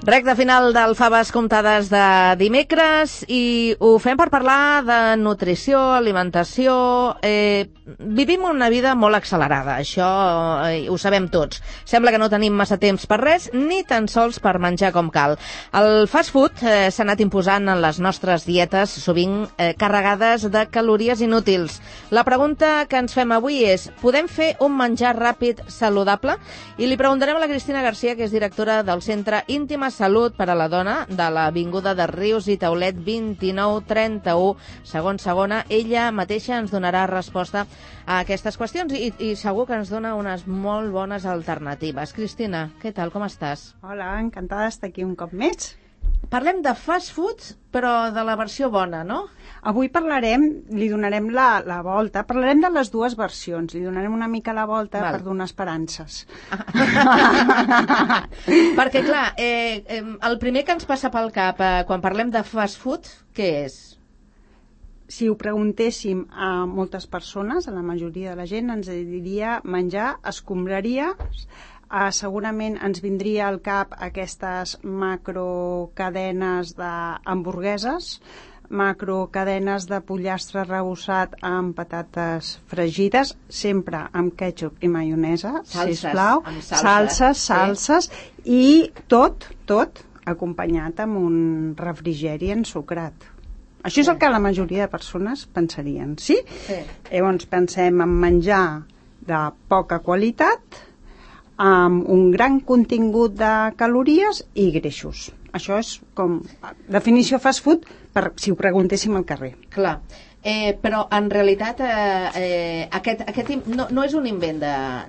Recte final del Faves Comptades de dimecres i ho fem per parlar de nutrició, alimentació. Vivim una vida molt accelerada, això ho sabem tots. Sembla que no tenim massa temps per res, ni tan sols per menjar com cal. El fast food s'ha anat imposant en les nostres dietes, sovint carregades de calories inútils. La pregunta que ens fem avui és: podem fer un menjar ràpid saludable? I li preguntarem a la Cristina Garcia, que és directora del Centre Íntima Salut per a la Dona de l'Avinguda de Rius i Taulet 2931, segon segona. Ella mateixa ens donarà resposta a aquestes qüestions i segur que ens dona unes molt bones alternatives. Cristina, què tal, com estàs? Hola, encantada d'estar aquí un cop més. Parlem de fast food, però de la versió bona, no? Avui li donarem la volta, parlarem de les dues versions, li donarem una mica la volta per donar esperances. Perquè, clar, el primer que ens passa pel cap quan parlem de fast food, què és? Si ho preguntéssim a moltes persones, a la majoria de la gent, ens diria menjar escombraries. Segurament ens vindria al cap aquestes macrocadenes d'hamburgueses, macrocadenes de pollastre arrebossat amb patates fregides, sempre amb ketchup i maionesa, sisplau, salses, i tot acompanyat amb un refrigeri ensucrat. Això és el que la majoria de persones pensarien, sí? Llavors pensem en menjar de poca qualitat, amb un gran contingut de calories i greixos. Això és com definició fast food, si ho preguntéssim al carrer. Clar, però en realitat aquest no és un invent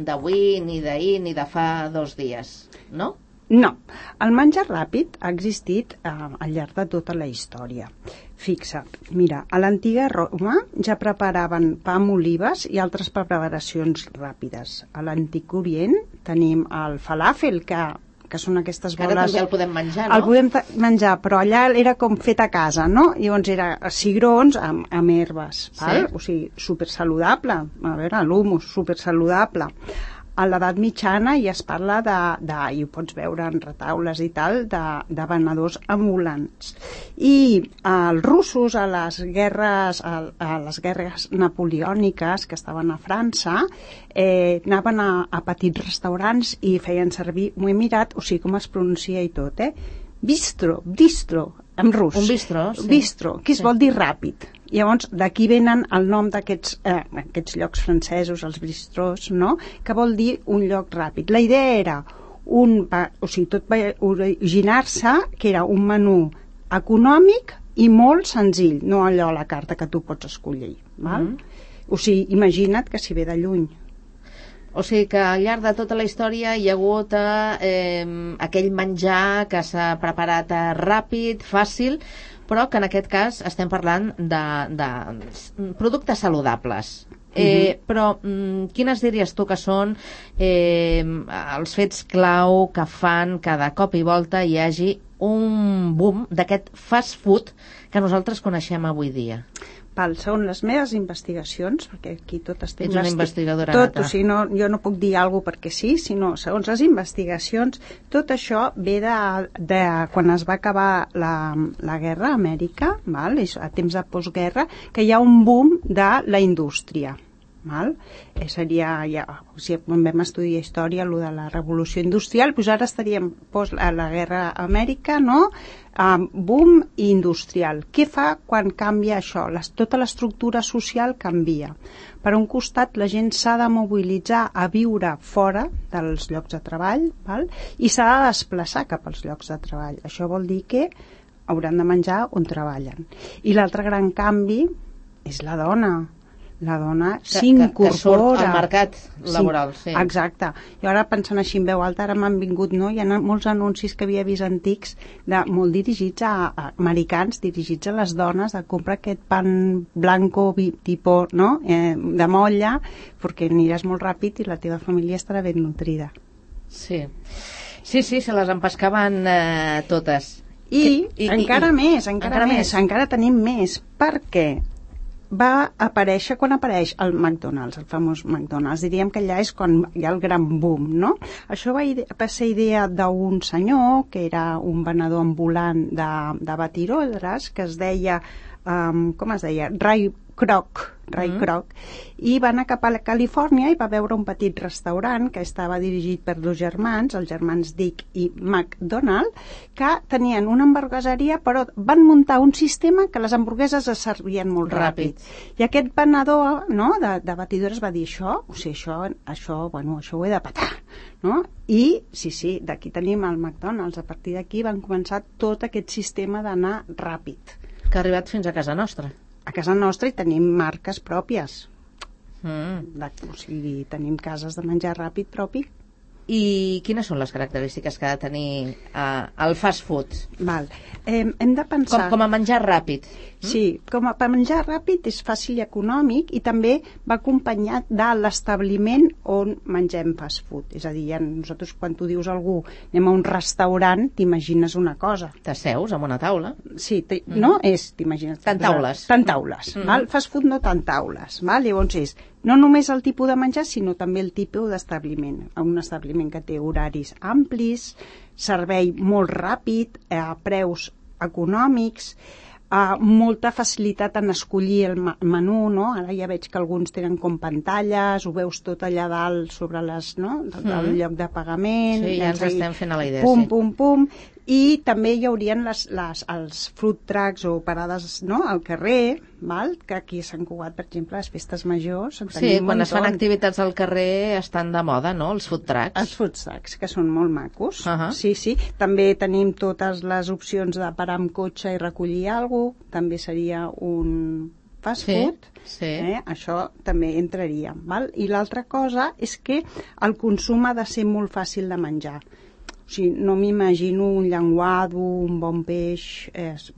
d'avui, ni d'ahir, ni de fa 2 dies, no? No, el menjar ràpid ha existit al llarg de tota la història. Fixa't, mira, a l'antiga Roma ja preparaven pa amb olives i altres preparacions ràpides. A l'antic Orient tenim el falafel, que són aquestes boles... Ara també el podem menjar, no? El podem menjar, però allà era com fet a casa, no? Llavors era cigrons amb herbes, val? O sigui, supersaludable. A veure, l'humus, supersaludable. A l'edat mitjana ja es parla i ho pots veure en retaules i tal, de venedors ambulants. I els russos a les guerres napoleòniques que estaven a França anaven a petits restaurants i feien servir, m'ho he mirat, o sigui com es pronuncia i tot, bistro, en rus. Un bistró, sí. Bistro, que es vol dir ràpid. Llavors, d'aquí venen el nom d'aquests llocs francesos, els bistrós, no? Que vol dir un lloc ràpid. La idea era tot va originar-se que era un menú econòmic i molt senzill, no allò a la carta que tu pots escollir. Val? O sigui, imagina't que si ve de lluny. O sigui que al llarg de tota la història hi ha hagut aquell menjar que s'ha preparat ràpid, fàcil, però que en aquest cas estem parlant de productes saludables. Però quines diries tu que són els fets clau que fan que de cop i volta hi hagi un boom d'aquest fast food que nosaltres coneixem avui dia? Segons les meves investigacions, perquè aquí tot estic... Ets una investigadora nata. O sigui, jo no puc dir alguna cosa perquè sí, sinó segons les investigacions, tot això ve de quan es va acabar la guerra a Amèrica, a temps de postguerra, que hi ha un boom de la indústria. Seria, quan vam estudiar història, el de la revolució industrial, doncs ara estaríem a la guerra a Amèrica, no? Boom industrial. Què fa quan canvia això? Tota l'estructura social canvia. Per un costat, la gent s'ha de mobilitzar a viure fora dels llocs de treball, i s'ha de desplaçar cap als llocs de treball. Això vol dir que hauran de menjar on treballen. I l'altre gran canvi és la dona. La dona s'incorpora. Que surt al mercat laboral, sí. Exacte. I ara pensant així en veu alta, ara m'han vingut, no? Hi ha molts anuncis que havia vist antics, molt dirigits a americans, dirigits a les dones, de comprar aquest pan blanco, tipus, no? De molla, perquè aniràs molt ràpid i la teva família estarà ben nutrida. Sí, se les empescaven totes. I encara més, encara tenim més. Per què? va aparèixer quan apareix el McDonald's, el famós McDonald's. Diríem que allà és quan hi ha el gran boom, no? Això va ser idea d'un senyor que era un venedor ambulant de batirodres, que es deia, com es deia? Ray Kroc, i va anar cap a Califòrnia i va veure un petit restaurant que estava dirigit per dos germans, els germans Dick i McDonald, que tenien una hamburgueseria, però van muntar un sistema que les hamburgueses es servien molt ràpid. I aquest venedor, no, de batidores va dir això ho he de petar, no? I sí, d'aquí tenim el McDonald's. A partir d'aquí van començar tot aquest sistema d'anar ràpid. Que ha arribat fins a casa nostra. A casa nostra hi tenim marques pròpies. O sigui, tenim cases de menjar ràpid propi. I quines són les característiques que ha de tenir el fast food? Val. Hem de pensar... Com a menjar ràpid. Sí, com a menjar ràpid és fàcil i econòmic, i també va acompanyat de l'establiment on mengem fast food. És a dir, nosaltres quan tu dius a algú anem a un restaurant, t'imagines una cosa. T'asseus amb una taula. Sí, no és, t'imagines... Tant taules. Tant taules, val? Fast food no tant taules, val? Llavors és no només el tipus de menjar, sinó també el tipus d'establiment. Un establiment que té horaris amplis, servei molt ràpid, a preus econòmics, molta facilitat en escollir el menú, no? Ara ja veig que alguns tenen com pantalles, ho veus tot allà dalt sobre les, no? El lloc de pagament. Sí, ja ens estem fent a la idea. Pum. I també hi haurien els food trucks o parades, no? Al carrer, val? Que aquí a Sant Cugat, per exemple, les festes majors... Sí, quan es fan activitats al carrer estan de moda, no? Els food trucks. Els food trucks, que són molt macos. Sí. També tenim totes les opcions de parar amb cotxe i recollir alguna cosa. També seria un fast food. Sí. Això també entraria, val? I l'altra cosa és que el consum ha de ser molt fàcil de menjar. O sigui, no m'imagino un llenguado, un bon peix... És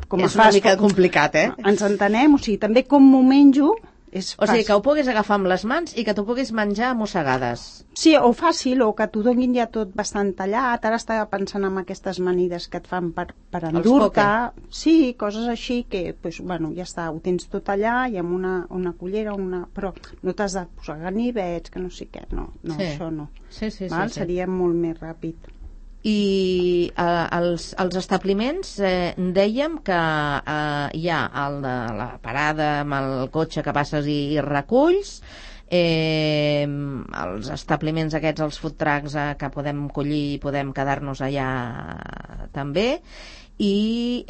una mica complicat, Ens entenem? O sigui, també com m'ho menjo és fàcil. O sigui, que ho puguis agafar amb les mans i que t'ho puguis menjar a mossegades. Sí, o fàcil, o que t'ho donin ja tot bastant tallat. Ara estava pensant en aquestes amanides que et fan per endur-te. Sí, coses així que, pues, bueno, ja està, ho tens tot allà i amb una cullera, però no t'has de posar ganivets, que no sé què, no, això no. Sí. Seria molt més ràpid. I els establiments dèiem que hi ha el de la parada amb el cotxe que passes i reculls, els establiments aquests, els food trucks que podem collir i podem quedar-nos allà també, i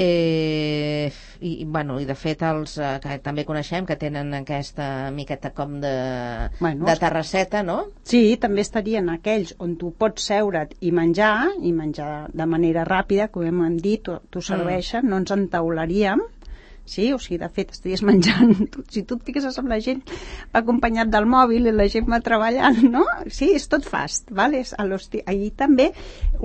de fet els que també coneixem que tenen aquesta miqueta com de terrasseta, no? Sí, també estarien aquells on tu pots seure't i menjar de manera ràpida, com hem dit, t'ho serveixen, no ens entaularíem. Sí, o sigui, de fet, estaries menjant... Si tu et fiques amb la gent acompanyat del mòbil i la gent va treballant, no? Sí, és tot fast, vale? Ahir també,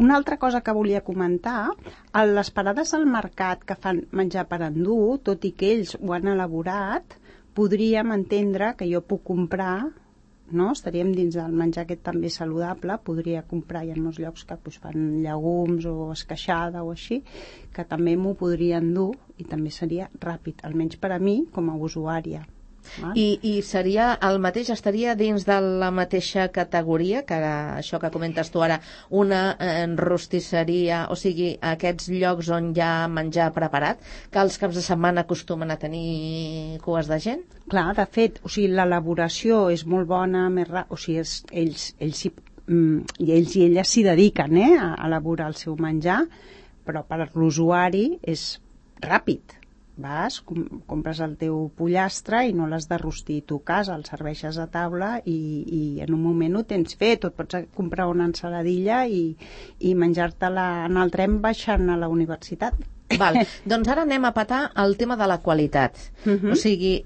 una altra cosa que volia comentar, a les parades al mercat que fan menjar per endur, tot i que ells ho han elaborat, podríem entendre que jo puc comprar, no? Estaríem dins del menjar aquest també saludable, podria comprar, hi ha molts llocs que fan llegums o esqueixada o així, que també m'ho podria endur i també seria ràpid, almenys per a mi com a usuària. I seria el mateix, estaria dins de la mateixa categoria que això que comentes tu ara, una rostisseria, o sigui, aquests llocs on hi ha menjar preparat, que els caps de setmana acostumen a tenir cues de gent? Clar, de fet, o sigui, l'elaboració és molt bona, o sigui, ells i elles s'hi dediquen a elaborar el seu menjar, però per l'usuari és ràpid. Vas, compres el teu pollastre i no l'has de rostir tu a casa, el serveixes a taula i en un moment ho tens fet, o et pots comprar una ensaladilla i menjar-te-la en el tren baixant a la universitat. Val. Doncs ara anem a petar el tema de la qualitat. O sigui,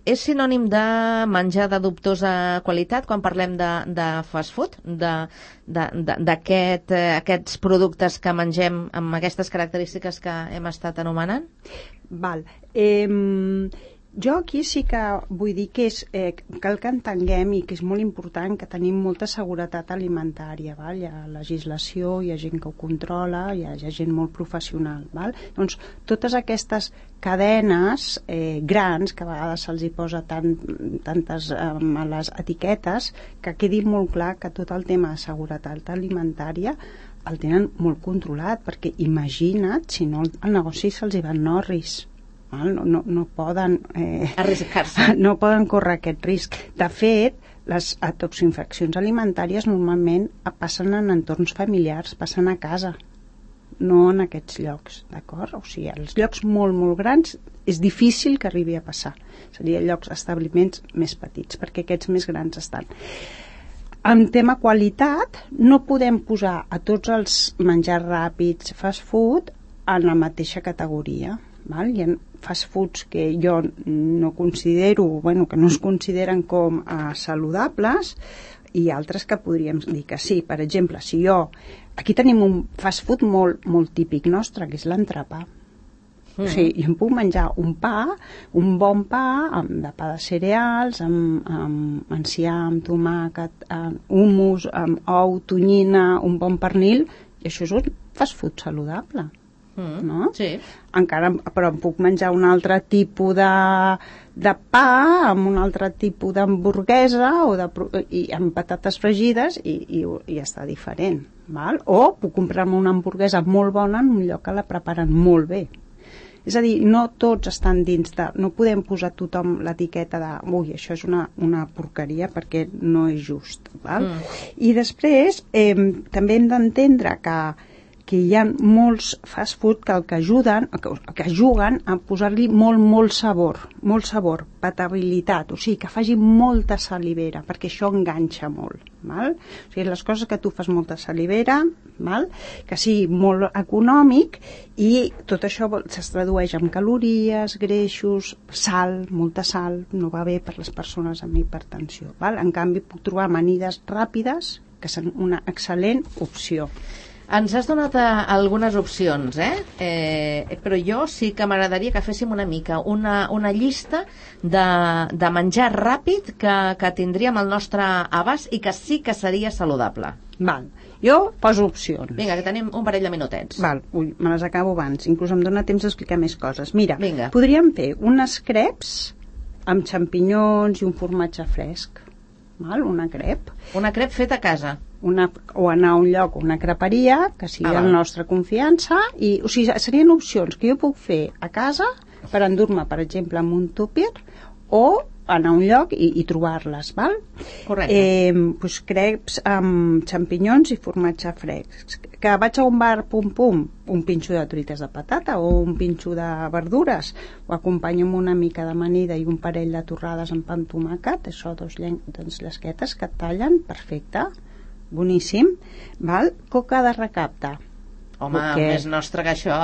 és sinònim de menjar de dubtosa qualitat quan parlem de fast food, d'aquests productes que mengem amb aquestes característiques que hem estat anomenant? Val. Jo aquí sí que vull dir que cal que entenguem i que és molt important que tenim molta seguretat alimentària, val? Hi ha legislació, hi ha gent que ho controla, hi ha gent molt professional, val? Doncs totes aquestes cadenes grans, que a vegades se'ls hi posa tantes a les etiquetes, que quedi molt clar que tot el tema de seguretat alimentària el tenen molt controlat, perquè imagina't si no el negoci se'ls hi va en orris. No poden arriscar-se. No poden córrer aquest risc. De fet, les toxinfeccions alimentàries normalment passen en entorns familiars, passen a casa, no en aquests llocs, d'acord? O sigui, als llocs molt, molt grans és difícil que arribi a passar. Serien llocs, establiments més petits, perquè aquests més grans estan. En tema qualitat, no podem posar a tots els menjars ràpids, fast food, en la mateixa categoria. Val? Hi ha fast foods que jo no considero, que no es consideren com saludables, i altres que podríem dir que sí. Per exemple, si aquí tenim un fast food molt, molt típic nostre, que és l'entrepà. O sigui, jo em puc menjar un pa, un bon pa, de pa de cereals, amb enciam, tomàquet, hummus, amb ou, tonyina, un bon pernil, i això és un fast food saludable. No? Sí. Encara, però em puc menjar un altre tipus de pa amb un altre tipus d'hamburguesa i amb patates fregides i està diferent, val? O puc comprar-me una hamburguesa molt bona en un lloc que la preparen molt bé. És a dir, no tots estan dins de... No podem posar a tothom l'etiqueta de ui, això és una porqueria, perquè no és just, val? I després també hem d'entendre que hi ha molts fast food que juguen a posar-li molt sabor, patabilitat, o sigui, que faci molta salivera, perquè això enganxa molt, val? O sigui, les coses que tu fas molta salivera, val? Que sigui molt econòmic, i tot això es tradueix en calories, greixos, sal, molta sal, no va bé per les persones amb hipertensió, val? En canvi, puc trobar amanides ràpides, que són una excel·lent opció. Ens has donat algunes opcions, però jo sí que m'agradaria que féssim una mica una llista de menjar ràpid que tindríem al nostre abast i que sí que seria saludable. Val. Jo poso opcions. Vinga, que tenim un parell de minutets. Val, me les acabo abans, inclús em dona temps d'explicar més coses. Mira, vinga. Podríem fer unes creps amb xampinyons i un formatge fresc. Val? Una crep. Una crep feta a casa. O anar a un lloc, una creperia, que sigui de la nostra confiança, o sigui, serien opcions que jo puc fer a casa per endur-me, per exemple, amb un tupper, o anar a un lloc i trobar-les, val? Correcte. Doncs creps amb xampinyons i formatge fresc. Que vaig a un bar, un pinxo de truites de patata o un pinxo de verdures, ho acompanyo amb una mica d'amanida i un parell de torrades amb pa amb tomàquet, això, dos llesquetes que et tallen, perfecte, boníssim, val? Coca de recapte. Home, més nostre que això,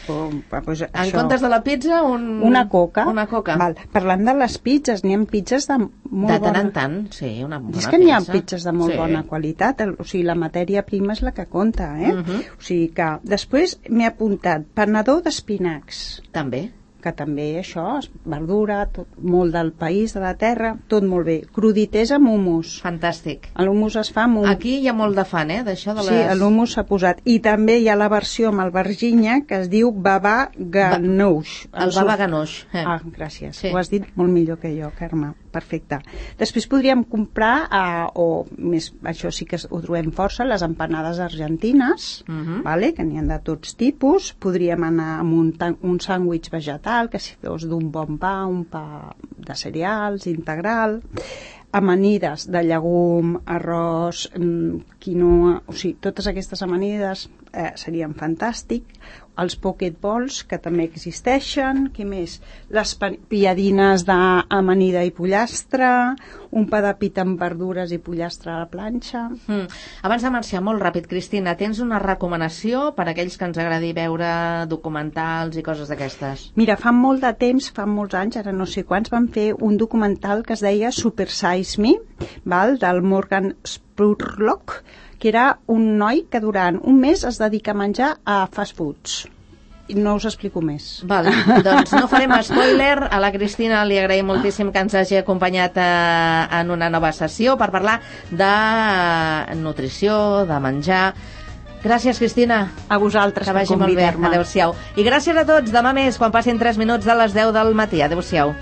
Pues en comptes de la pizza, una coca. Una coca. Val. Parlant de les pizzas, n'hi ha pizzas de molt bona... De tant en tant, sí, una bona pizza. És que n'hi ha pizzas de molt bona qualitat, o sigui, la matèria prima és la que compta, O sigui que... Després m'he apuntat panador d'espinacs. També. Que també això, verdura, molt del país, de la terra, tot molt bé. Crudités amb hummus. Fantàstic. L'hummus es fa amb Aquí hi ha molt de fan, d'això de les... Sí, l'hummus s'ha posat. I també hi ha la versió amb albergínia que es diu baba ganoush. El baba ganoush. Gràcies. Sí. Ho has dit molt millor que jo, Carme. Perfecte. Després podríem comprar, això sí que ho trobem força, les empanades argentines, vale? Que n'hi ha de tots tipus. Podríem anar amb un sàndwich vegetal, que si fos d'un bon pa, un pa de cereals, integral, amanides de llegum, arròs, quinoa, o sigui, totes aquestes amanides serien fantàstic. Els pocket balls, que també existeixen, què més? Les pilladines d'amanida i pollastre, un pa de pita amb verdures i pollastre a la planxa. Abans de marxar, molt ràpid, Cristina, tens una recomanació per a aquells que ens agradi veure documentals i coses d'aquestes? Mira, fa molt de temps, fa molts anys, ara no sé quants, van fer un documental que es deia Super Size Me, del Morgan Spurlock, que era un noi que durant un mes es dedica a menjar a fast foods i no us explico més. Val, doncs no farem spoiler. A la Cristina li agraïm moltíssim que ens hagi acompanyat en una nova sessió per parlar de nutrició, de menjar. Gràcies, Cristina. A vosaltres per convidar-me. Adéu-siau. I gràcies a tots. Demà més, quan passin 3 minuts de les 10 del matí. Adéu-siau.